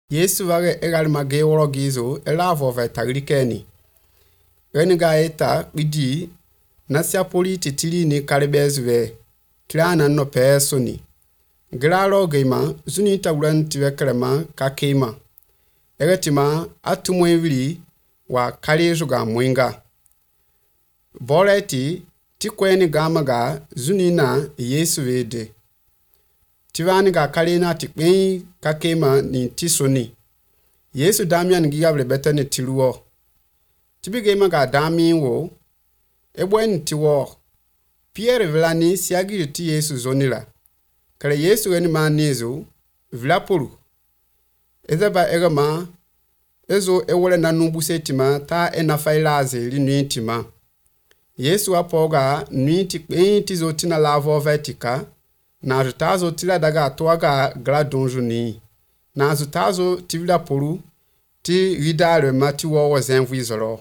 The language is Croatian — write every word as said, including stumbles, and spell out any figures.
Yesu wage egal mage woro gizo elavo va tagrikeni. Reniga eta bidi nasya poli titili ni kalibezwe. Tlana no pesoni. Glaro geima zuni tawuran tiwe krema kakema. Eretima atumwevili wa kalejuga mwenga. Boleti tikweni gamaga zuni na Yesu vede. Tivani ga kalena tikweni kakema ni tisoni. Yesu damian gigable betene tiluo. Tibigema ga dami wo. Ebwen tiwo. Pierre vilani siagi ti Yesu zonila. Kale Yesu eni manizo vilapuru. Ezeba egama ezo ewole nanubuse tima ta enafailaze li nuitima. Yesu apoga nuiti kweni tizo tina lavo vetika. Na azutazo tila daga atoaga gladonju ni. Na azutazo tivila puru ti ridare mati wawo zenvu izolo.